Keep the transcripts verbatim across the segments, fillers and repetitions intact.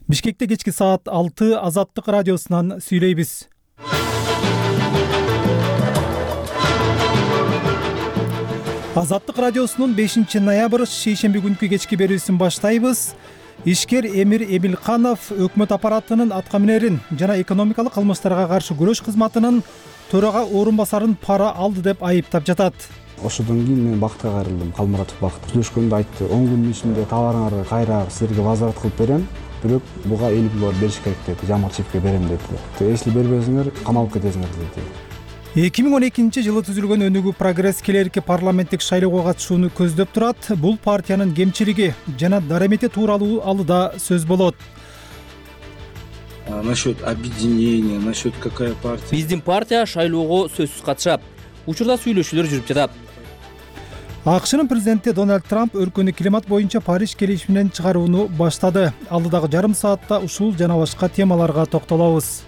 Бишкекте кечки саат алты Азаттык радиосунан сүйлөйбүз. Азаттык радиосунун бешинчи ноябрь шейшемби күнкү кечки берүүсүн баштайбыз. Ишкер Эмир Эмилканов өкмөт аппаратынын аткаминерин жана экономикалык кылмыштарга каршы күрөш кызматынын төрага орун басарын пара алды деп айыптап жатат. Ошодон кийин мен бакытка кайрылдым. Калмуратов Бакыт сүйлөшкөндө айтты, он күндүн ичинде товарыңарды кайра силерге возврат кылып берем, бирок буга элүү доллар бериш керек деди. Жамал чифке берем деди. Если бербесиңер, камалып кетесиңер деди. эки миң он экинчи жылы түзүлгөн өнүгүү прогресс келерки парламенттик шайлоого катышууну көздөп турат. Бул партиянын кемчилиги жана дарамети тууралуу алыда сөз болот. Насчет объединения, насчет какая партия? Биздин партия шайлоого сөзсүз катышат. Учурда сүйлөшүүлөр жүрүп жатат. АКШнын президенти Дональд Трамп өлкөнү климат боюнча Париж келишиминен чыгарууну баштады. Алдыдагы жарым саатта ушул жана башка темаларга токтолобуз.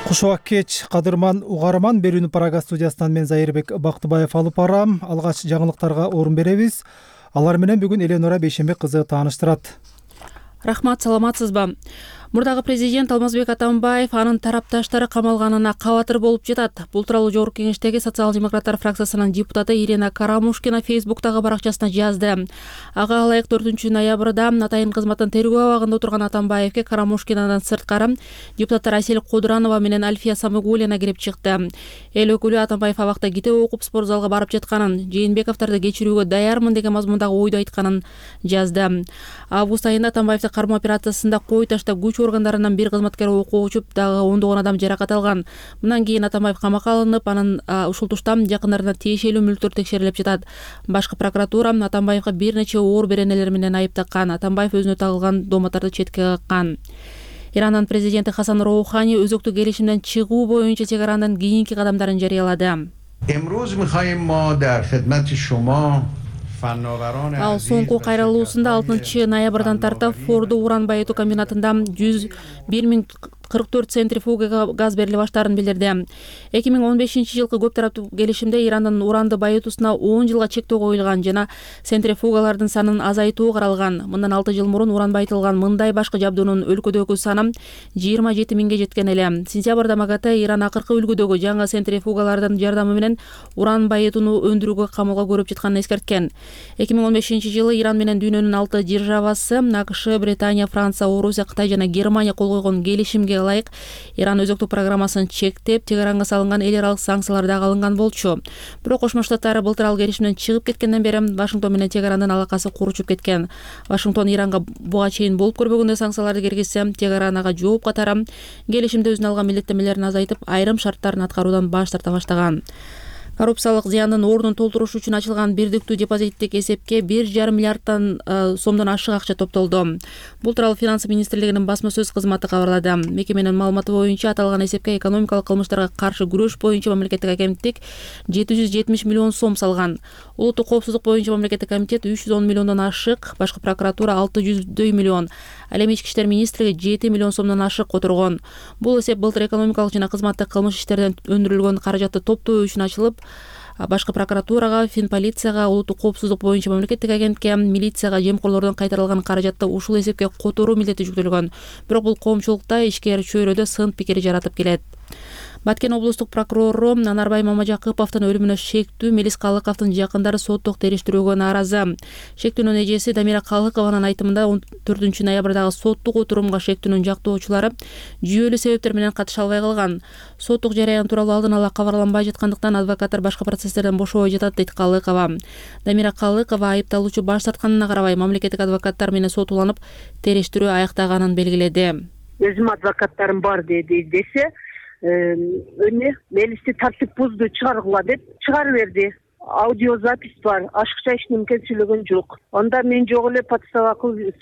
Куш убак кеч, кадырман угарман, берүүнү Прага студиясынан мен Зайырбек Бактыбаев алып барам. Алгач жаңылыктарга орун беребиз. Алар менен бүгүн Эленора Бейшембек кызы тааныштырат. Рахмат, саламатсызбы? Мурдагы президент Алмазбек Атамбаев анын тарапташтары камалганына кабатыр болуп жатат. Бул тууралуу Жогорку Кеңештеги социал-демократтар фракциясынын депутаты Ирина Карамушкина Фейсбуктагы баракчасына жазды. Ага ылайык төртүнчү ноябрда атайын кызматтын тергөө абагында отурган Атамбаевке Карамушкинадан сырткары депутаттар Асель Кодуранова менен Альфия Самыгулина кирип чыкты. Эл өкүлү Атамбаев абакта китеп окуп спорт залга барып жатканын, Жээнбековдорду кечирүүгө даярмын деген мазмундагы ойду айтканын жазды. Август айында Атамбаевди кармоо операциясында кой таштап күч органдарынан бир кызматкер окуу учуп, дагы ондогон адам жаракат алган. Мындан кийин Атамбаев камакка алынып, анын ушул туштан жакындарына тиешелүү мүлктөр текшерилип жатат. Башкы прокуратура Атамбаевга бир нече оор беренелер менен айыптаган. Атамбаев өзүнө тагылган доматтарды четке каккан. Иранын президенти Хасан Роухани өзөктүк келишимден чыгуу боюнча чегаранын кийинки кадамдарын жарыялады. Ал соңку кайрылуусунда алтынчы ноябрдан тартып Форду уран байытуу комбинатында жүз бир миң кырк төрт центрифуга газ бериле баштаарын билдирди. эки миң он бешинчи жылкы көп тараптуу келишимде Ирандын уранды байытуусуна он жылга чектөө коюлган жана центрифугалардын санын азайтуу каралган. Мындан алты жыл мурун уран байытылган мындай башкы жабдуунун өлкөдөгү саны жыйырма жети миңге жеткен эле. Сентябрда МАГАТЭ Иран акыркы үлгүдөгү жаңы центрифугалардын жардамы менен уран байытууну өндүрүүгө камылга көрүп жатканын эскерткен. эки миң он бешинчи жылы Иран менен дүйнөнүн алты державасы АКШ, Британия, Франция, Орусия, Кытай жана Германия кол койгон келишимге ылайык Иран өзөктүк программасын чектеп, Тегеранга салынган эл аралык санкциялар дагы алынган болчу. Бирок Кошмо Штаттар былтыр ал келишимден чыгып кеткенден бери Вашингтон менен Тегерандын алакасы куручуп кеткен. Вашингтон Иранга буга чейин болуп көрбөгөндөй санкцияларды киргизсе, Тегеран ага жооп катары келишимде өзүнө алган милдеттенмелерин азайтып, айрым шарттарын аткаруудан баш тарта баштаган. Коррупциялык зыяндын ордун толтуруш үчүн ачылган бирдиктүү депозиттик эсепке бир жарым миллиарддан сомдон ашык акча топтолду. Бул тууралуу Финансы министрлигинин басма сөз кызматы кабарлады. Мекеменин маалыматы боюнча аталган эсепке экономикалык кылмыштарга каршы күрөш боюнча мамлекеттик агенттик жети жүз жетимиш миллион сом салган. Улуттук коопсуздук боюнча мамлекеттик комитет үч жүз он миллиондон ашык, башкы прокуратура алты жүздөй миллион, ал эми ички иштер министрлиги жети миллион сомдон ашык которгон. Бул эсеп былтыр экономикалык жана кызматтык кылмыш иштерден өндүрүлгөн каражатты топтоо үчүн ачылып, башкы прокуратурага, Финполицияга, улуттук коопсуздук боюнча мамлекеттик агенттикке, милицияга жемкорлордон кайтарылган каражатты ушул эсепке которуу милдети жүктөлгөн. Бирок бул коомчулукта ишкер чөйрөдө сын пикир жаратып келет. Баткен облустук прокурору Анарбай Мамажакыповдун өлүмүнө шектүү Мелис Калыковдун жакындары соттук териштирүүгө нааразы. Шектүүнүн эжеси Дамира Калыкованын айтымында он төртүнчү ноябрдагы соттук отурумга шектүүнүн жактоочулары жүйөлүү себептер менен катыша албай калган. Соттук жараян тууралуу алдын ала кабарланбай жаткандыктан адвокаттар башка процесстерден бошобой жатат, дейт Калыкова. Дамира Калыкова айыпталуучу баш тартканына карабай мамлекеттик адвокаттар менен сот уланып териштирүү аяктаганын белгиледи. Өзүм адвокаттарым бар деди десе, өне Мелисти тартип бузду чыгаргыла деп чыгарып берди. Аудиозапись бар, ашыкча эч неме сүйлөгөн жок. Анда мен жок эле подстава кылып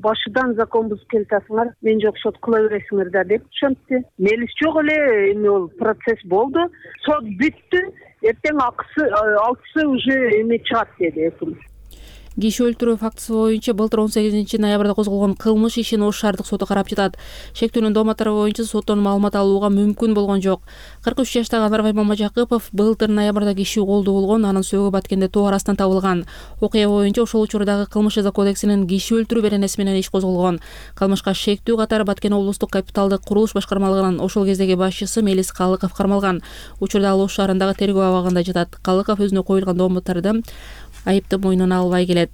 башыдан закон бузуп келатасыңар, мен жок сот кыла бересиңер да деп ошентти. Мелис жок эле, эми ол процесс болду, сот бүттү, эртең акысы алтысы уже эме чыгат деди өкүм. Киши өлтүрүү фактысы боюнча былтыр он сегизинчи ноябрда козголгон кылмыш ишин Ош шаардык соты карап жатат. Шектүүнүн дооматтары боюнча соттон маалымат алууга мүмкүн болгон жок. кырк үч жаштагы Анарбай Мамажакыпов былтыр ноябрда киши колдуу болгон, анын сөөгү Баткенде тоо арасынан табылган. Окуя боюнча ошол учурдагы кылмыш жаза кодексинин киши өлтүрүү беренеси менен иш козголгон. Кылмышка шектүү катары Баткен облустук капиталдык курулуш башкармалыгынын ошол кездеги башчысы Мелис Калыков кармалган. Учурда ал Ош шаарындагы тергөө абагында жатат. Калыков өзүнө коюлган дооматтарды айыпты мойнуна албай келет.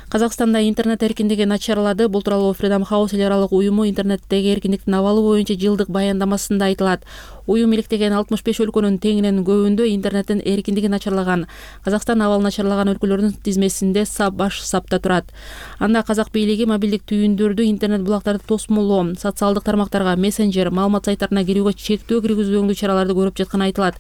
Казакстанда интернет эркиндиги начарлады. Бул тууралуу Freedom House эл аралык уюму интернеттеги эркиндиктин абалы боюнча жылдык баяндамасында айтылат. Уюм иликтеген алтымыш беш өлкөнүн теңинен көбүндө интернеттин эркиндиги начарлаган. Казакстан абал начарлаган өлкөлөрдүн тизмесинде баш сапта турат. Анда казак бийлиги мобилдик түйүндөрдү, интернет булактарды тосмолоо, социалдык тармактарга, мессенджер, маалымат сайттарына кирүүгө чектөө киргизүүгө чараларды көрүп жатканы айтылат.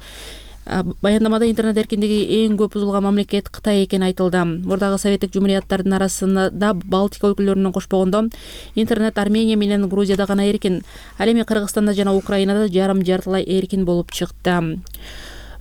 Баяндамада интернет эркиндиги эң көп бузулган мамлекет Кытай экени айтылды. Мурдагы советтик жумурияттардын арасында Балтика өлкөлөрүнөн кошпогондо интернет Армения менен Грузияда гана эркин. Ал эми Кыргызстанда жана Украинада жарым жартылай эркин болуп чыкты.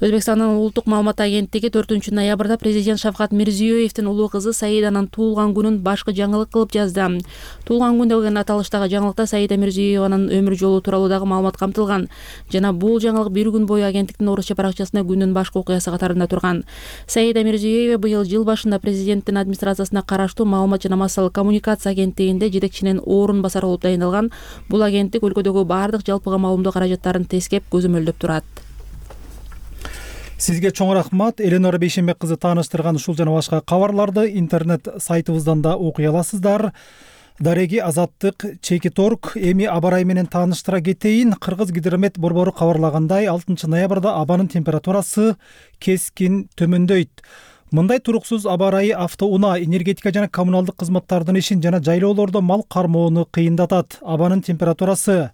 Өзбекстандын улуттук маалымат агенттиги төртүнчү ноябрда президент Шавкат Мирзиёевдин улуу кызы Саиданын туулган күнүн башкы жаңылык кылып жазды. Туулган күн деген аталыштагы жаңылыкта Саида Мирзиёеванын өмүр жолу тууралуу дагы маалымат камтылган. Жана бул жаңылык бир күн бою агенттиктин орусча баракчасында күндүн башкы окуясы катарында турган. Саида Мирзиёева быйыл жыл башында президенттин администрациясына караштуу маалымат жана массалык коммуникация агенттигинде жетекчинин орун басары болуп дайындалган. Бул агенттик өлкөдөгү баардык жалпыга маалымдоо каражаттарын тескеп көзөмөлдөп турат. Сизге чоң рахмат. Эленора Бейшенбек кызы тааныштырган ушул жана башка кабарларды интернет сайтыбыздан да окуй аласыздар. Дареги Азаттык Чекиторг эми аба ырайы менен тааныштыра кетейин. Кыргыз гидромет борбору кабарлагандай, алтынчы ноябрда абанын температурасы кескин төмөндөйт. Мындай туруксуз аба ырайы автоунаа, энергетика жана коммуналдык кызматтардын ишин жана жайлоолордо мал кармоону кыйындатат. Абанын температурасы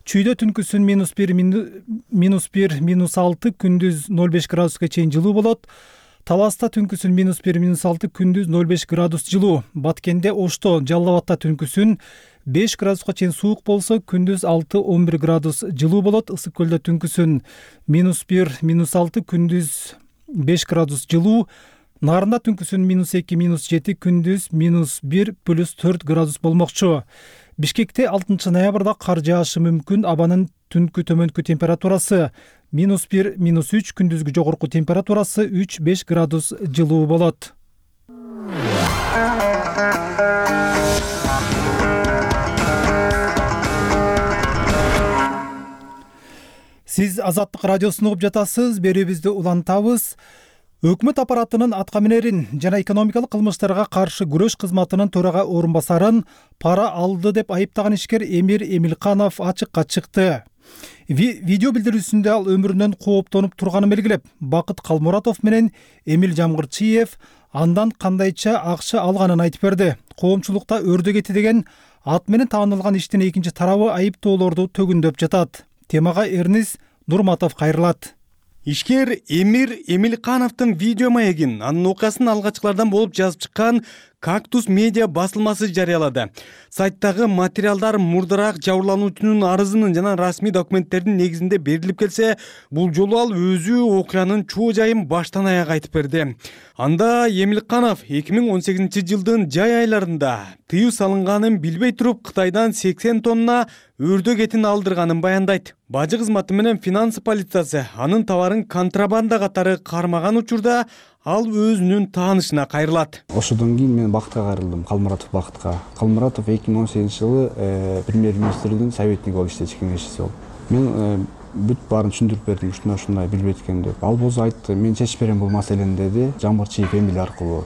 чүйдө түнкүсүн минус бир, минус бир, минус алты, күндүз ноль беш градуска чейин жылуу болот. Таласта түнкүсүн минус бир, минус алты, күндүз ноль беш градус жылуу. Баткенде, Ошто, Жалал Абадта түнкүсүн беш градуска чейин суук болсо, күндүз алты, он бир градус жылуу болот. Ысык көлдө түнкүсүн минус бир, минус алты, күндүз беш градус жылуу. Нарында түнкүсүн минус эки, минус жети, күндүз минус бир, плюс төрт градус болмокчу. Бишкекте алтынчы ноябрда кар жаашы мүмкүн. Абанын түнкү төмөнкү температурасы минус бир, минус үч, күндүзгү жогорку температурасы үч, беш градус жылуу болот. Сиз Азаттык радиосун угуп жатасыз. Берүүбүздү улантабыз. Өкмөт аппаратынын аткаминерин жана экономикалык кылмыштарга каршы күрөш кызматынын төрага орун басарын пара алды деп айыптаган ишкер Эмир Эмилканов ачыкка чыкты. Ви- видео билдирүүсүндө ал өмүрүнөн кооптонуп турганын белгилеп, Бакыт Калмуратов менен Эмил Жамгырчиев андан кандайча акча алганын айтып берди. Коомчулукта өрдө кетти деген ат менен таанылган иштин экинчи тарабы айыптоолорду төгүндөп жатат. Темага Эрнис Нурматов кайрылат. Ишкер Эмир Эмилкановдун видео маегин анын окуясын алгачкылардан болуп жазып чыккан Кактус медиа басылмасы жарыялады. Сайттагы материалдар мурдараак жабырлануучунун арызынын жана расмий документтердин негизинде берилип келсе, бул жолу ал өзү окуянын чоо жайын баштан аяк айтып берди. Анда Эмилканов эки миң он сегизинчи жылдын жай айларында тыюу салынганын билбей туруп Кытайдан сексен тонна өрдө этин алдырганын баяндайт. Бажы кызматы менен финансы полициясы анын товарын контрабанда катары кармаган учурда ал өзүнүн таанышына кайрылат. Ошодон кийин мен Бакытка кайрылдым, Калмуратов Бакытка. Калмуратов эки миң он сегизинчи жылы премьер-министрдин советниги болуп иштечү, кеңешчиси болуп. Мен бүт баарын түшүндүрүп бердим, ушундай ушундай билбейт экен деп. Ал болсо айтты, мен чечип берем бул маселени деди. Жамгырчиев Эмил аркылуу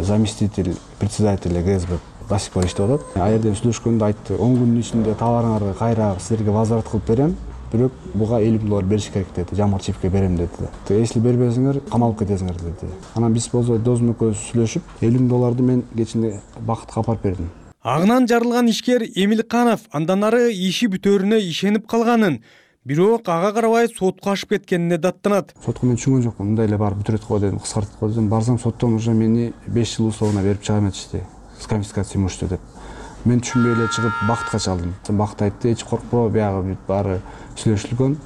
заместитель председателя ГСБ до сих пор иштеп атат. Ал жерде сүйлөшкөндө айтты, он күндүн ичинде товарыңарды кайра силерге возврат кылып берем. Бирок буга элүү миң доллар бериш керек деди. Жамгырчиевке берем деди. Если бербесиңер, камалып кетесиңер деди. Анан биз болсо досум экөөбүз сүйлөшүп, элүү миң долларды мен кечинде Бакытка апарып бердим. Агынан жарылган ишкер Эмилканов андан ары иши бүтөөрүнө ишенип калганын, бирок ага карабай сотко ашып кеткенине даттанат. Сотко мен түшүнгөн жокмун. Мындай эле барып бүтүрөт го дедим, кыскартып го дедим. Барсам соттон уже мени беш жыл условно берип чыга эметишти. С конфискацией имущества деп. Мен түшүнбөй эле чыгып Бакытка чалдым. Бакыт айтты, эч коркпо, биягы бүт баары сүйлөшүлгөн.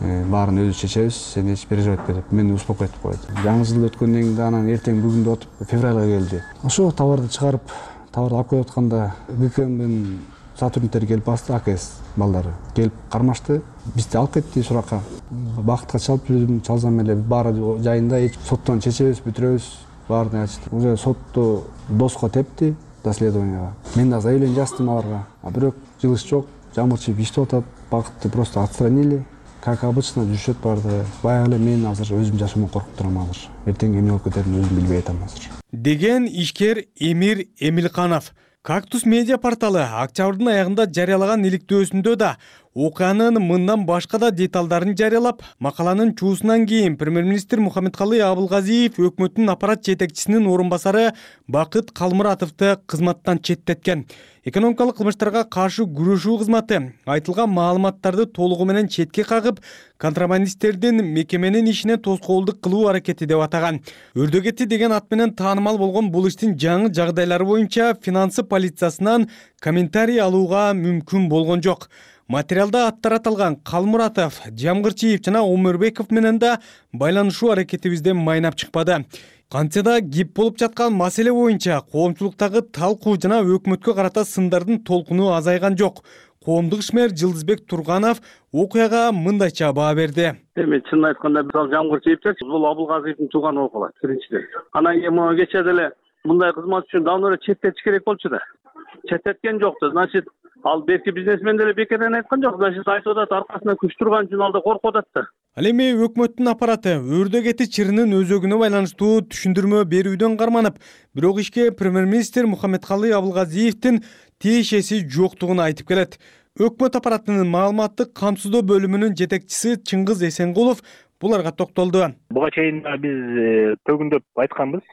баарын өзүбүз чечебиз, сен эч переживать этпе деп мени успокойтуп коет. Жаңы жыл өткөндөн кийин анан эртең бүгүн деп отуп февралга келди. Ошо товарды чыгарып, товарды алып келип атканда ГКМдин сотрудниктери келип басты, АКС балдары келип кармашты. Бизди алып кетти суракка. Бакытка чалып жүрдүм, чалсам эле баары жайында, эч соттон чечебиз, бүтүрөбүз, баарын айтышты. Уже сотту доско тепти, доследованияга. Мен да заявление жаздым аларга. А бирок жылыш жок, Жамырчиев иштеп атат, Бакытты просто отстранили. Как обычно жүрүшөт барды. Баягы эле мен азыр өзүм жашоомон коркуп турам азыр. Эртең эмне болуп кетерин өзүм билбей атам азыр. Деген ишкер Эмир Эмилканов. Кактус медиа порталы октябрдын аягында жарыялаган иликтөөсүндө да окуянын мындан башка да деталдарын жарыялап, макаланын чуусунан кийин премьер-министр Мухаммедкалый Абылгазиев өкмөттүн аппарат жетекчисинин орун басары Бакыт Калмуратовду кызматтан четтеткен. Экономикалык кылмыштарга каршы күрөшүү кызматы айтылган маалыматтарды толугу менен четке кагып, контрабандисттердин мекеменин ишине тоскоолдук кылуу аракети деп атаган. Өрдөгети деген ат менен таанымал болгон бул иштин жаңы жагдайлары боюнча финансы полициясынан комментарий алууга мүмкүн болгон жок. Материалда аттар аталган Калмуратов, Жамгырчиев жана Омурбеков менен да байланышуу аракетибизден майнап чыкпады. Кантсе да кеп болуп жаткан маселе боюнча коомчулуктагы талкуу жана өкмөткө карата сындардын толкуну азайган жок. Коомдук ишмер Жылдызбек Турганов окуяга мындайча баа берди. Эми чынын айтканда мисалы Жамгырчиевчи бул Абылгазиевдин тууганы болуп калат биринчиден. Анан кийин могу кечээ деле мындай кызмат үчүн давно эле четтетиш керек болчу да. Четтеткен жокту. Значит, ал берки бизнесмен деле бекерден айткан жок. Значит, айтып атат аркасына күч турган үчүн алда коркуп атат да. Ал эми өкмөттүн аппараты өрдөгети чырынын өзөгүнө байланыштуу түшүндүрмө берүүдөн карманып, бирок ишке премьер-министр Мухаммедкалый Абылгазиевдин тиешеси жоктугун айтып келет. Өкмөт аппаратынын маалыматтык камсыздоо бөлүмүнүн жетекчиси Чыңгыз Эсенгулов буларга токтолду. Буга чейин биз төгүндөп айтканбыз.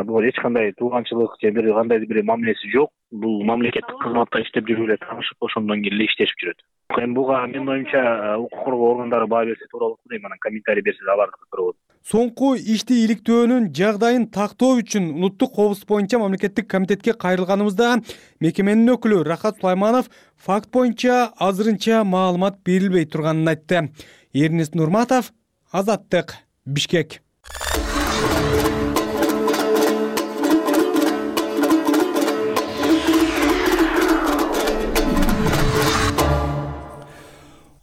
Бул эч кандай тууганчылык же бир кандай бир мамилеси жок. Бул мамлекеттик кызматта иштеп жүрүп эле таанышып, ошондон кийин эле иштешип жүрөт. Эми буга менин оюмча укук коргоо органдары баа берсе туура болот дейм, анан комментарий берсе алардыкы туура болот. Соңку ишти иликтөөнүн жагдайын тактоо үчүн улуттук коопсуздук боюнча мамлекеттик комитетке кайрылганыбызда мекеменин өкүлү Рахат Сулайманов факт боюнча азырынча маалымат берилбей турганын айтты. Эрнест Нурматов, Азаттык, Бишкек.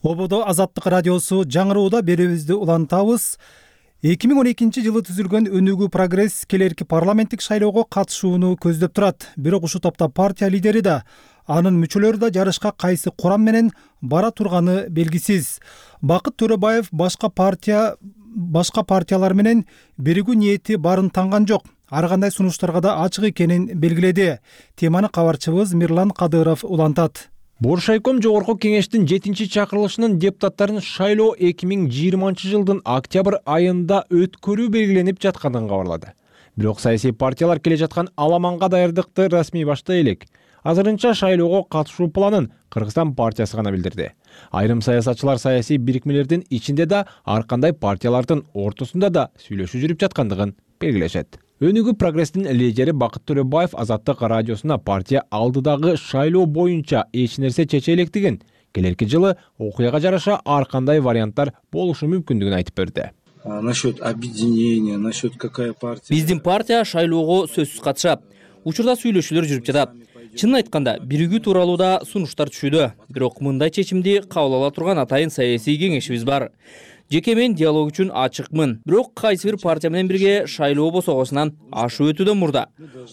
Ободо Азаттык радиосу жаңырууда берүүбүздү улантабыз. эки миң он экинчи жылы түзүлгөн Өнүгүү прогресс келерки парламенттик шайлоого катышууну көздөп турат. Бирок ушул топто партия лидери да, анын мүчөлөрү да жарышка кайсы курам менен бара турганы белгисиз. Бакыт Төрөбаев башка партия башка партиялар менен биригүү ниети барын танган жок. Ар кандай сунуштарга да ачык экенин белгиледи. Теманы кабарчыбыз Мирлан Кадыров улантат. Боршайком жогорку кеңештин жетинчи чакырылышынын депутаттарын шайлоо эки миң жыйырманчы жылдын октябрь айында өткөрүү белгиленип жатканын кабарлады. Бирок саясий партиялар келе жаткан аламанга даярдыкты расмий баштай элек. Азырынча шайлоого катышуу планын Кыргызстан партиясы гана билдирди. Айрым саясатчылар саясий бирикмелердин ичинде да ар кандай партиялардын ортосунда да сүйлөшүү жүрүп жаткандыгын белгилешет. Өнүгүү прогресстин лидери Бакыт Төрөбаев Азаттык радиосуна партия алдыдагы шайлоо боюнча эч нерсе чече электигин, келерки жылы окуяга жараша ар кандай варианттар болушу мүмкүндүгүн айтып берди. Насчет объединения, насчет какая партия? Биздин партия шайлоого сөзсүз катышат. Учурда сүйлөшүүлөр жүрүп жатат. Чынын айтканда, биригүү тууралуу да сунуштар түшүүдө. Бирок мындай чечимди кабыл ала турган атайын саясий кеңешибиз бар. Жеке мен диалог үчүн ачыкмын. Бирок кайсы бир партия менен бирге шайлоо босогосунан ашып өтүүдөн мурда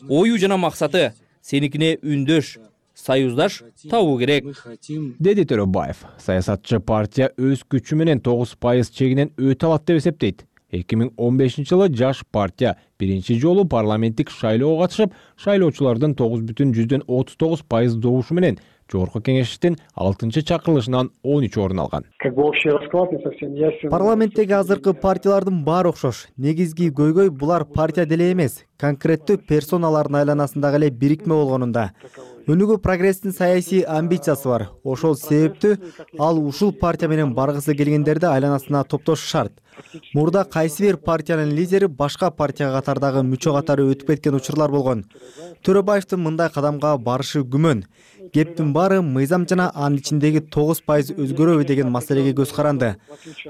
ою жана максаты сеникине үндөш, союздаш табуу керек, деди Төрөбаев. Саясатчы партия өз күчү менен тогуз пайыз чегинен өтө алат деп эсептейт. эки миң он бешинчи жылы жаш партия биринчи жолу парламенттик шайлоого катышып, шайлоочулардын тогуз бүтүн жүздөн отуз тогуз пайыз добушу менен жогорку кеңештин алтынчы чакырылышынан он үч орун алган. Парламенттеги азыркы партиялардын баары окшош. Негизги көйгөй булар партия деле эмес, конкреттүү персоналардын айланасындагы эле бирикме болгонунда. Өнүгүү прогресстин саясий амбициясы бар. Ошол себептүү ал ушул партия менен баргысы келгендерди айланасына топтошу шарт. Мурда кайсы бир партиянын лидери башка партия катардагы мүчө катары өтүп кеткен учурлар болгон. Төрөбаевдин мындай кадамга барышы күмөн. Кептин баары мыйзам жана анын ичиндеги тогуз пайыз өзгөрөбү деген маселеге көз каранды.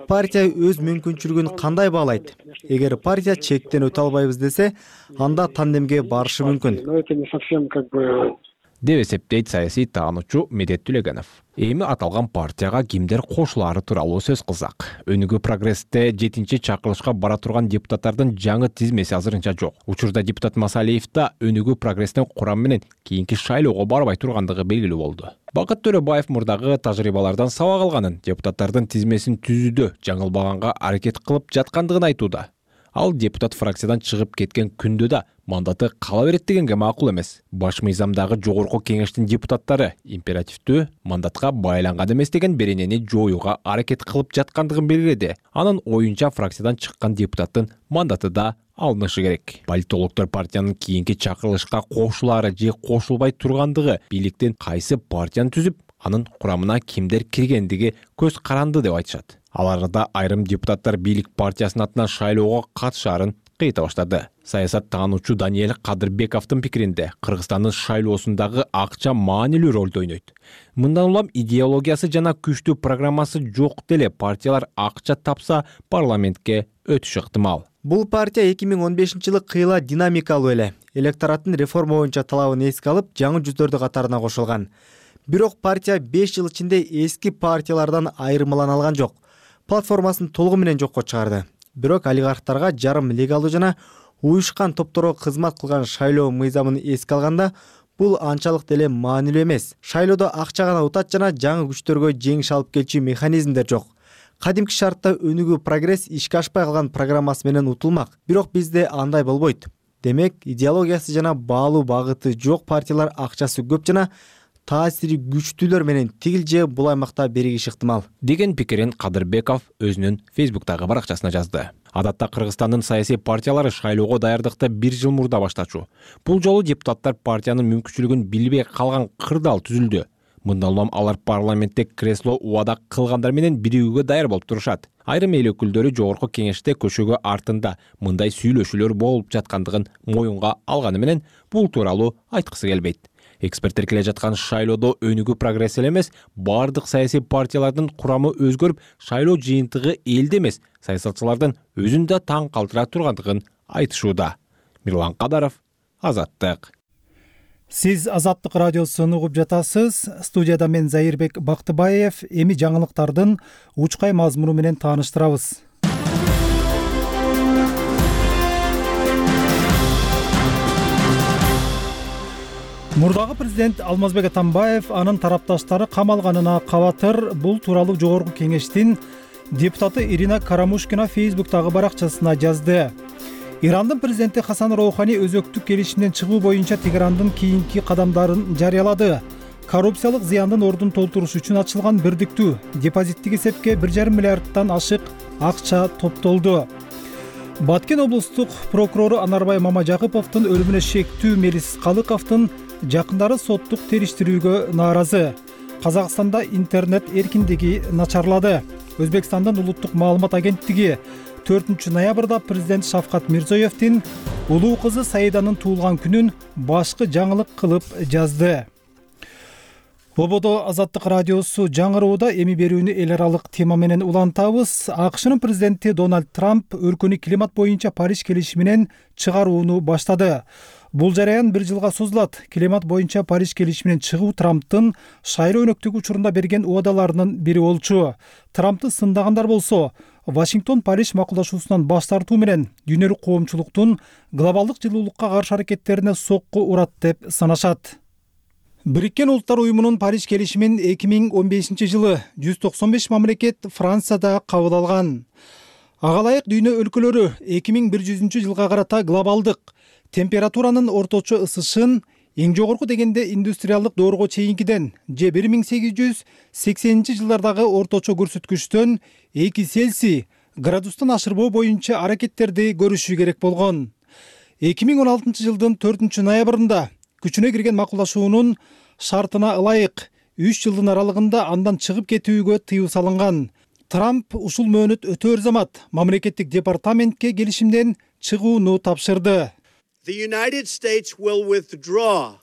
Партия өз мүмкүнчүлүгүн кандай баалайт? Эгер партия чектен өтө албайбыз десе, анда тандемге барышы мүмкүн деп эсептейт саясий таануучу Медет Түлегенов. Эми аталган партияга кимдер кошулаары тууралуу сөз кылсак. Өнүгүү прогрессте жетинчи чакырылышка бара турган депутаттардын жаңы тизмеси азырынча жок. Учурда депутат Масалиев да Өнүгүү прогресстин курамы менен кийинки шайлоого барбай тургандыгы белгилүү болду. Бакыт Төрөбаев мурдагы тажрыйбалардан сабак алганын, депутаттардын тизмесин түзүүдө жаңылбаганга аракет кылып жаткандыгын айтууда. Ал депутат фракциядан чыгып кеткен күндө да мандаты кала берет дегенге макул эмес. Баш мыйзамдагы жогорку кеңештин депутаттары императивдүү мандатка байланган эмес деген беренени жоюуга аракет кылып жаткандыгын белгиледи. Анын оюнча фракциядан чыккан депутаттын мандаты да алынышы керек. Политологдор партиянын кийинки чакырылышка кошулаары же кошулбай тургандыгы, бийликтин кайсы партияны түзүп, анын курамына кимдер киргендиги көз каранды деп айтышат. Ал арада айрым депутаттар бийлик партиясынын атынан шайлоого катышаарын кыйта баштады. Саясат таануучу Даниэль Кадырбековдун пикиринде Кыргызстандын шайлоосундагы акча маанилүү ролду ойнойт. Мындан улам идеологиясы жана күчтүү программасы жок деле партиялар акча тапса парламентке өтүшү ыктымал. Бул партия эки миң он бешинчи жылы кыйла динамикалуу эле. Электораттын реформа боюнча талабын эске алып, жаңы жүздөрдү катарына кошулган. Бирок партия беш жыл ичинде эски партиялардан айырмалана алган жок. Платформасын толугу менен жокко чыгарды. Бирок олигархтарга жарым легалдуу жана уюшкан топторго кызмат кылган шайлоо мыйзамын эске алганда, бул анчалык деле маанилүү эмес. Шайлоодо акча гана утат жана жаңы күчтөргө жеңиш алып келчү механизмдер жок. Кадимки шартта Өнүгүү прогресс ишке ашпай калган программасы менен утулмак. Бирок бизде андай болбойт. Демек, идеологиясы жана баалуу багыты жок партиялар акчасы көп жана таасири күчтүүлөр менен тигил же бул аймакта биригиши ыктымал деген пикирин Кадырбеков өзүнүн Фейсбуктагы баракчасына жазды. Адатта Кыргызстандын саясий партиялары шайлоого даярдыкты бир жыл мурда баштачу. Бул жолу депутаттар партиянын мүмкүнчүлүгүн билбей калган кырдаал түзүлдү. Мындан улам алар парламентте кресло убада кылгандар менен биригүүгө даяр болуп турушат. Айрым эл өкүлдөрү жогорку кеңеште көчөгө артында мындай сүйлөшүүлөр болуп жаткандыгын моюнга алганы менен бул тууралуу айткысы келбейт. Эксперттер келе жаткан шайлоодо Өнүгүү прогресс эле эмес, бардык саясий партиялардын курамы өзгөрүп, шайлоо жыйынтыгы элде эмес, саясатчылардын өзүн да таң калтыра тургандыгын айтышууда. Мирлан Кадаров, Азаттык. Сиз Азаттык радиосун угуп жатасыз. Студияда мен Заирбек Бактыбаев. Эми жаңылыктардын учкай мазмуну менен тааныштырабыз. Мурдагы президент Алмазбек Атамбаев анын тарапташтары камалганына кабатыр. Бул тууралуу жогорку кеңештин депутаты Ирина Карамушкина Фейсбуктагы баракчасына жазды. Ирандын президенти Хасан Роухани өзөктүк келишимден чыгуу боюнча Тегерандын кийинки кадамдарын жарыялады. Коррупциялык зыяндын ордун толтуруш үчүн ачылган бирдиктүү депозиттик эсепке бир жарым миллиардтан ашык акча топтолду. Баткен облустук прокурору Анарбай Мамажакыповдун өлүмүнө шектүү Мелис Калыковдун жакындары соттук териштирүүгө нааразы. Казакстанда интернет эркиндиги начарлады. Өзбекстандын улуттук маалымат агенттиги төртүнчү ноябрда президент Шавкат Мирзиёевдин улуу кызы Саиданын туулган күнүн башкы жаңылык кылып жазды. Бободо Азаттык радиосу жаңырууда эми берүүнү эл аралык тема менен улантабыз. АКШнын президенти Дональд Трамп өлкөнү климат боюнча Париж келишими менен чыгарууну баштады. Бул жараян бир жылга созулат. Климат боюнча Париж келишиминен чыгуу Трамптын шайлоо өнөктүгү учурунда берген убадаларынын бири болчу. Трампты сындагандар болсо, Вашингтон Париж макулдашуусунан баш тартуу менен дүйнөлүк коомчулуктун глобалдык жылуулукка каршы аракеттерине сокку урат деп санашат. Бириккен Улуттар уюмунун Париж келишимин эки миң он бешинчи жылы жүз токсон беш мамлекет Францияда кабыл алган. Ага ылайык дүйнө өлкөлөрү эки миң бир жүзүнчү жылга карата глобалдык температуранын орточо ысышын эң жогорку дегенде индустриалдык доорго чейинкиден же бир миң сегиз жүз сексенинчи жылдардагы орточо көрсөткүчтөн эки Цельсий градустан ашырбоо боюнча аракеттерди көрүшү керек болгон. эки миң он алтынчы жылдын төртүнчү ноябрында күчүнө кирген макулдашуунун шартына ылайык үч жылдын аралыгында андан чыгып кетүүгө тыюу салынган. Трамп ушул мөөнөт өтөөр замат мамлекеттик департаментке келишимден чыгууну тапшырды. The United States will withdraw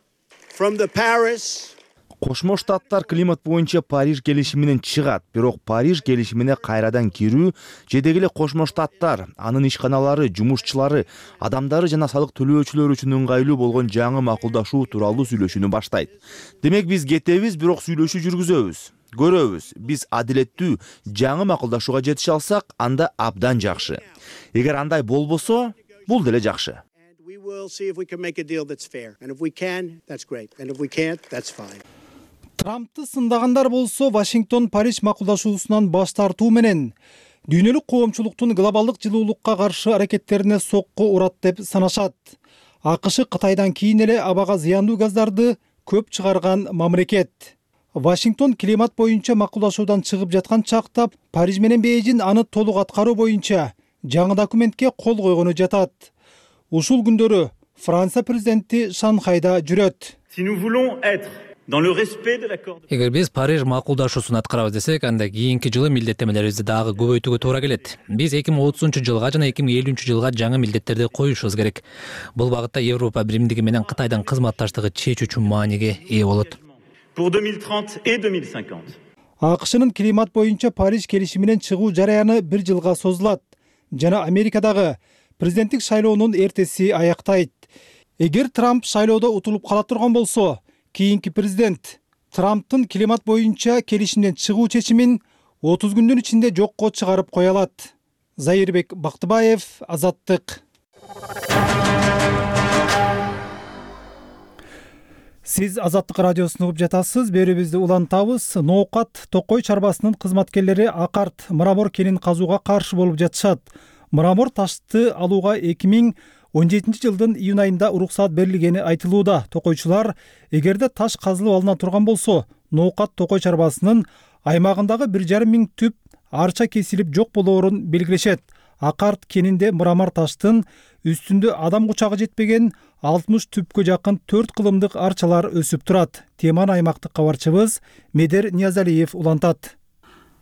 from the Paris Кошмо Штаттар климат боюнча Париж келишиминен чыгат, бирок Париж келишимине кайрадан кирүү жедегеле Кошмо Штаттар, анын ишканалары, жумушчулары, адамдары жана салык төлөөчүлөр үчүн ыңгайлуу болгон жаңы макулдашуу тууралуу сүйлөшүүнү баштайт. Демек биз кетебиз, бирок сүйлөшүү жүргүзөбүз. Көрөбүз, биз адилеттүү жаңы макулдашууга жетише алсак, анда абдан жакшы. Эгер андай болбосо, бул деле жакшы. We will see if we can make a deal that's fair. And if we can, that's great. And if we can't, that's fine. Трампты сындагандар болсо Вашингтон Париж макулдашуусунан баш тартуу менен дүйнөлүк коомчулуктун глобалдык жылуулукка каршы аракеттерине сокку урат деп санашат. АКШ Кытайдан кийин эле абага зыяндуу газдарды көп чыгарган мамлекет. Вашингтон климат боюнча макулдашуудан чыгып жаткан чакта Париж менен Бейжин аны толук аткаруу боюнча жаңы документке кол койгону жатат. Ушул күндөрү Франция президенти Шанхайда жүрөт. Si nous voulons être dans le respect de l'accord. Эгер биз Париж макулдашуусун аткарабыз десек, анда кийинки жылы милдеттемелерибизди дагы көбөйтүүгө туура келет. Биз эки миң отузунчу жылга жана эки миң элүүнчү жылга жаңы милдеттерди коюшубуз керек. Бул багытта Европа биримдиги менен Кытайдын кызматташтыгы чечүүчү мааниге ээ болот. Pour deux mille trente et deux mille cinquante. АКШнын климат боюнча Париж келишиминен чыгуу жараяны бир жылга созулат жана Америкадагы президенттик шайлоонун эртеси аяктайт. Эгер Трамп шайлоодо утулуп кала турган болсо, кийинки президент Трамптын климат боюнча келишимден чыгуу чечимин отуз күндүн ичинде жокко чыгарып кое алат. Зайырбек Бактыбаев, Азаттык. Сиз Азаттык радиосун угуп жатасыз. Берүүбүздү улантабыз. Ноокат Токой чарбасынын кызматкерлери Акарт мрамор кенин казууга каршы болуп жатышат. Мрамор ташты алууга эки миң он жетинчи жылдын июнь айында уруксаат берилгени айтылууда. Токойчулар эгерде таш казылып алына турган болсо, Ноокат Токой чарбасынын аймагындагы бир жарым миң түп арча кесилип жок болоорун белгилешет. Акарт кенинде мрамор таштын үстүндө адам кучагы жетпеген алтымыш түпкө жакын төрт кылымдык арчалар өсүп турат. Теманы аймактык кабарчыбыз Медер Ниязалиев улантат.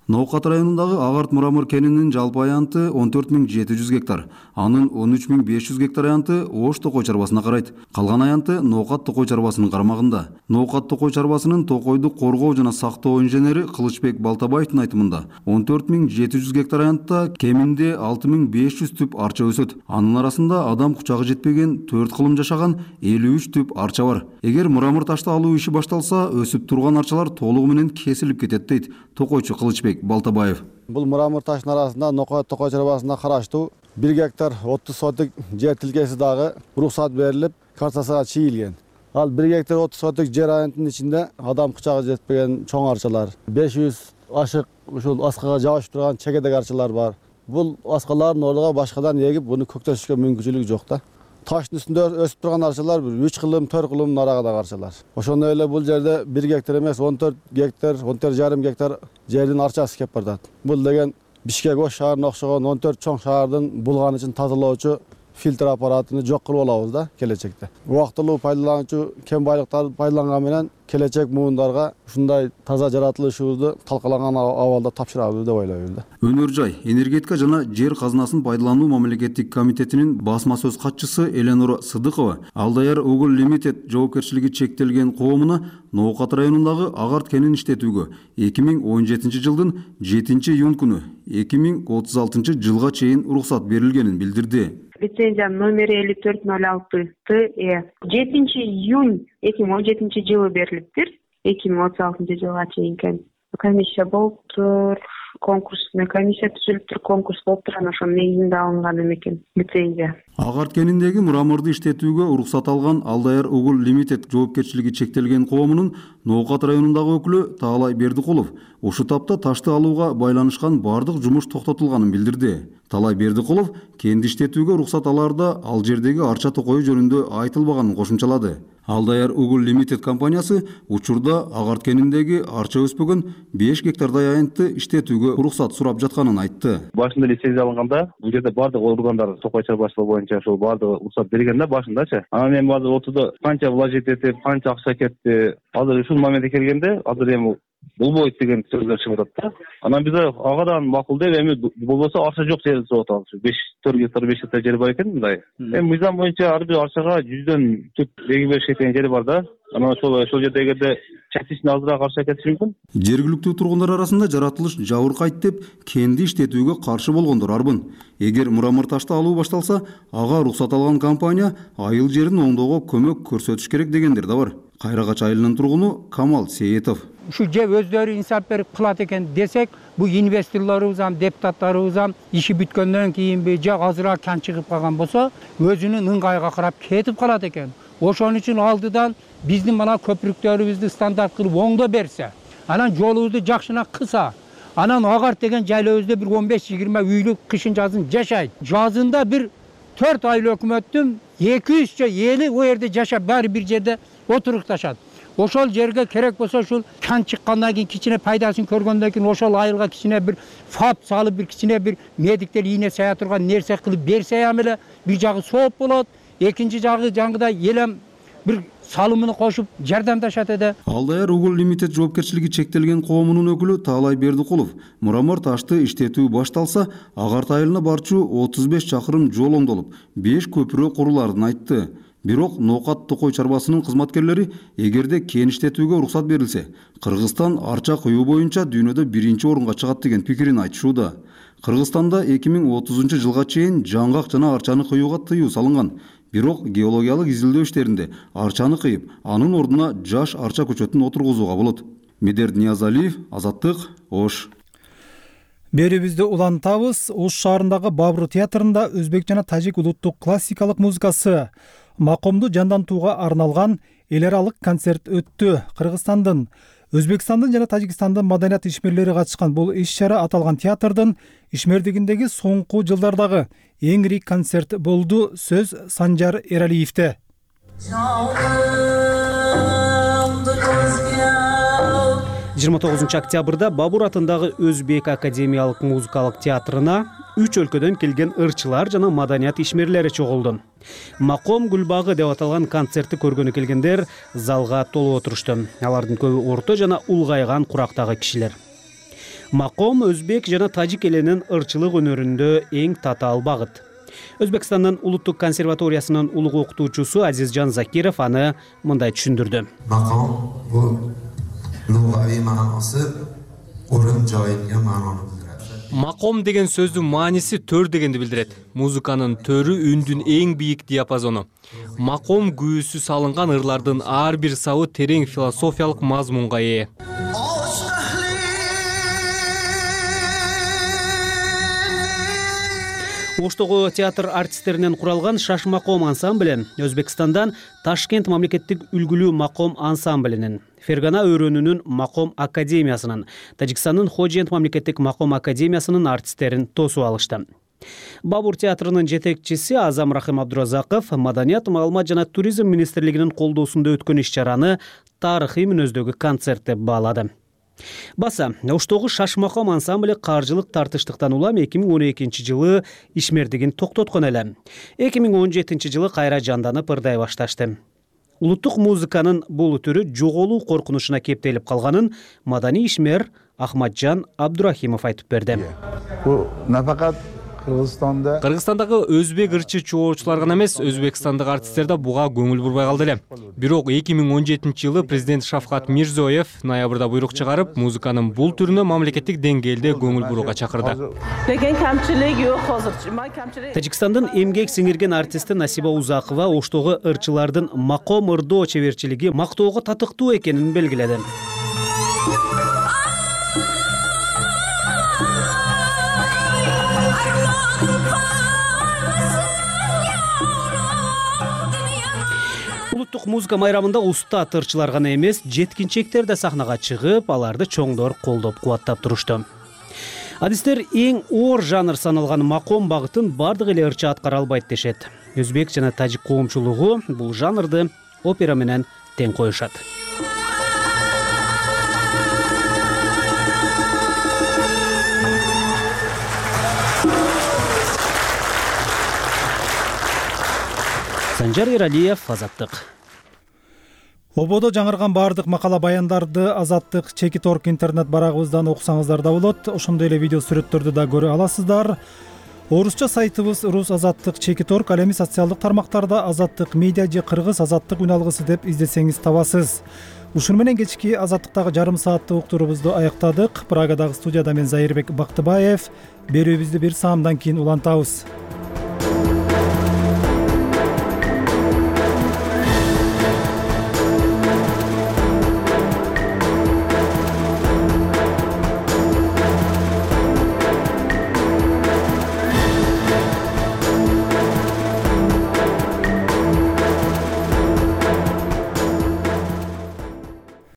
Ноокат районундагы Агарт мрамор кенинин жалпы аянты он төрт миң жети жүз гектар. Анын он үч миң беш жүз гектар аянты Ош Токой чарбасына карайт. Калган аянты Ноокат Токой чарбасынын карамагында. Ноокат Токой чарбасынын токойду коргоо жана сактоо инженери Кылычбек Балтабаевдин айтымында он төрт миң жети жүз гектар аянтта кеминде алты миң беш жүз түп арча өсөт. Анын арасында адам кучагы жетпеген төрт кылым жашаган элүү үч түп арча бар. Эгер мрамор ташты алуу иши башталса, өсүп турган арчалар толугу менен кесилип кетет дейт токойчу Кылычбек Балтабаев. Бул мрамор таштын арасында Ноокат Токой чарбасына караштуу бир гектар отуз соток жер тилкеси дагы уруксаат берилип, картасына чийилген. Ал бир гектар отуз соток жер аянтынын ичинде адам кучагы жетпеген чоң арчалар, беш жүз ашык ушул аскага жабышып турган чегедек арчалар бар. Бул аскалардын ордуга башкадан эгип, буну көктөшүшкө мүмкүнчүлүк жок да. Таштын үстүндө өсүп турган арчалар бир үч кылым, төрт кылым арагадагы арчалар. Ошондой эле бул жерде бир гектар эмес, он төрт гектар, он төрт жарым гектар жердин арчасы кеп бардат. Бул деген Бишкек Ош шаарына окшогон он төрт чоң шаардын булган үчүн тазалоочу фильтр аппаратыны жок кылып алабыз да келечекте. Убактылуу пайдалануучу кен байлыктарды пайдаланган менен келечек муундарга ушундай таза жаратылышыбызды талкаланган абалда тапшырабыз деп ойлойбуз да. Өнөр жай, энергетика жана жер казынасын пайдалануу мамлекеттик комитетинин басма сөз катчысы Эленора Сыдыкова Алдаяр Угул Лимитед жоопкерчилиги чектелген коомуна Ноокат районундагы Агарт кенин иштетүүгө эки миң он жетинчи жылдын жетинчи июнь күнү эки миң отуз алтынчы жылга чейин уруксат берилгенин билдирди. Лицензия номери элүү төрт ноль алты Т Э жетинчи июнь эки миң он жетинчи жылы берилиптир. эки миң отуз алтынчы жылга чейин комиссия болуптур, конкурсный комиссия түзүлүптүр, конкурс болуптур, анан ошонун негизинде алынган экен лицензия. Агарт кениндеги мраморду иштетүүгө уруксат алган Алдаяр Угул Лимитед жоопкерчилиги чектелген коомунун Ноокат районундагы өкүлү Таалай Бердикулов ушу тапта ташты алууга байланышкан бардык жумуш токтотулганын билдирди. Талай Бердикулов кенди иштетүүгө уруксат алаарда ал жердеги арча токою жөнүндө айтылбаганын кошумчалады. Алдаяр Угул Limited компаниясы учурда агарт кениндеги арча өспөгөн беш гектардай аянтты иштетүүгө уруксат сурап жатканын айтты. Башында лицензия алынганда бул жерде бардык органдар токой чарбаштыгы боюнча ошол бардыгы уруксат берген да башындачы. Анан эми азыр отурда канча вложить этип, канча акча кетти. Азыр ушул моментке келгенде азыр эми болбойт деген сөздөр чыгып атат да. Анан биз агадан макул деп эми болбосо арча жок жерди сатып атабыз. беш төрт гектар беш гектар жери бар экен мындай. Эми мыйзам боюнча ар бир арчага жүздөн түп эки беш гектар жери бар да. Анан ошол ошол жерде эгерде частично азыраак арча кетиши мүмкүн. Жергиликтүү тургундар арасында жаратылыш жабыркайт деп кенди иштетүүгө каршы болгондор арбын. Эгер Мурамырташты алуу башталса, ага уруксат алган компания айыл жерин оңдоого көмөк көрсөтүш керек дегендер да бар. Кайрагач айылынын тургуну Камал Сейитов. Ушу же өздөрү инсап берип кылат экен десек, бул инвесторлорубуз ам, депутаттарыбыз ам иши бүткөндөн кийинби же азыраак кан чыгып калган болсо, өзүнүн ыңгайга карап кетип калат экен. Ошон үчүн алдыдан биздин мына көпүрүктөрүбүздү стандарт кылып оңдо берсе, анан жолубузду жакшына кыса, анан агарт деген жайлообузда бир он беш жыйырма үйлүк кышын жазын жашайт. Жазында бир төрт айыл өкмөттүн эки жүзчө эли о жерде жашап, баары бир жерде отурукташат. Ошол жерге керек болсо ушул кан чыккандан кийин кичине пайдасын көргөндөн кийин ошол айылга кичине бир фап салып, бир кичине бир медиктер ийне сая турган нерсе кылып берсе ам эле бир жагы сооп болот, экинчи жагы жаңгыдай элем бир салымын кошуп жардамдашат эде. Алдаяр Угул Limited жоопкерчилиги чектелген коомунун өкүлү Таалай Бердикулов Мурамырташты иштетүү башталса, агарт айылына барчу отуз беш чакырым жол оңдолуп, беш көпүрө куруларын айтты. Бирок Ноокат токой чарбасынын кызматкерлери эгерде кен иштетүүгө уруксат берилсе, Кыргызстан арча кыюу боюнча дүйнөдө биринчи орунга чыгат деген пикирин айтышууда. Кыргызстанда эки миң отузунчу жылга чейин жаңгак жана арчаны кыюуга тыюу салынган. Бирок геологиялык изилдөө иштеринде арчаны кыйып, анын ордуна жаш арча көчөтүн отургузууга болот. Медерт Ниязалиев, Азаттык, Ош. Берүүбүздү улантабыз. Ош шаарындагы Бабру театрында өзбек жана тажик улуттук классикалык музыкасы макомду жандантууга арналган эл аралык концерт өттү. Кыргызстандын, Өзбекстандын жана Тажикстандын маданият ишмерлери катышкан бул иш-чара аталган театрдын ишмердигиндеги соңку жылдардагы эң ири концерт болду. Сөз Санжар Эралиевде. жыйырма тогузунчу октябрда Бабур атындагы Өзбек академиялык музыкалык театрына үч өлкөдөн келген ырчылар жана маданият ишмерлери чогулду. Маком Гүлбагы деп аталган концертти көргөнү келгендер залга толуп отурушту. Алардын көбү орто жана улгайган курактагы кишилер. Маком өзбек жана тажик элинин ырчылык өнөрүндө эң татаал багыт. Өзбекстандын улуттук консерваториясынын улуг окутуучусу Азизжан Закиров аны мындай түшүндүрдү. Маком бул лугави маанасы орун жайынга маананы билдирет. Маком деген сөздүн мааниси төр дегенди билдирет. Музыканын төрү үндүн эң бийик диапазону. Маком күүсү салынган ырлардын ар бир сабы терең философиялык мазмунга ээ. Оштогу театр артисттеринен куралган Шаш маком ансамблі Өзбекстандан Ташкент мамлекеттик үлгүлүү маком ансамблинин, Фергана өрөөнүнүн маком академиясынын, Тажикстандын Ходжент мамлекеттик маком академиясынын артисттерин тосуп алышты. Бабур театрынын жетекчиси Азам Рахим Абдуразаков маданият, маалымат жана туризм министрлигинин колдоосунда өткөн иш-чараны тарыхый мүнөздөгү концерт деп баалады. Баса, Оштогу Шаш маком ансамблі каржылык тартыштыктан улам эки миң он экинчи жылы ишмердигин токтоткон эле. эки миң он жетинчи жылы кайра жанданып ырдай башташты. Улуттук музыканын бул түрү жоголуу коркунучуна кептелип калганын маданий ишмер Ахматжан Абдурахимов айтып берди. Бул нафакат Кыргызстанда Кыргызстандагы өзбек ырчы чогуучулар гана эмес, өзбекстандык артисттер да буга көңүл бурбай калды эле. Бирок эки миң он жетинчи жылы президент Шавкат Мирзиёев ноябрда буйрук чыгарып, музыканын бул түрүнө мамлекеттик деңгээлде көңүл бурууга чакырды. Тажикстандын эмгек сиңирген артисти Насиба Узакова Оштогу ырчылардын маком ырдоо чеберчилиги мактоого татыктуу экенин белгиледи. Улуттук музыка майрамында уста ырчылар гана эмес, жеткинчектер да сахнага чыгып, аларды чоңдор колдоп кубаттап турушту. адистер эң оор жанр саналган маком багытын бардык эле ырча аткара албайт дешет. Өзбек жана тажик коомчулугу бул жанрды опера менен тең коюшат. Санжар Эралиев, Азаттык. Ободо жаңырган баардык макала баяндарды Азаттык Чекит Орг интернет барагыбыздан окусаңыздар да болот. Ошондой эле видео сүрөттөрдү да көрө аласыздар. Орусча сайтыбыз Рус Азаттык Чекит Орг, ал эми социалдык тармактарда Азаттык медиа же Кыргыз Азаттык үн алгысы деп издесеңиз табасыз. Ушуну менен кечки Азаттыктагы жарым сааттык уктуруубузду аяктадык. Прагадагы студияда мен Зайырбек Бактыбаев. Берүүбүздү бир саамдан кийин улантабыз.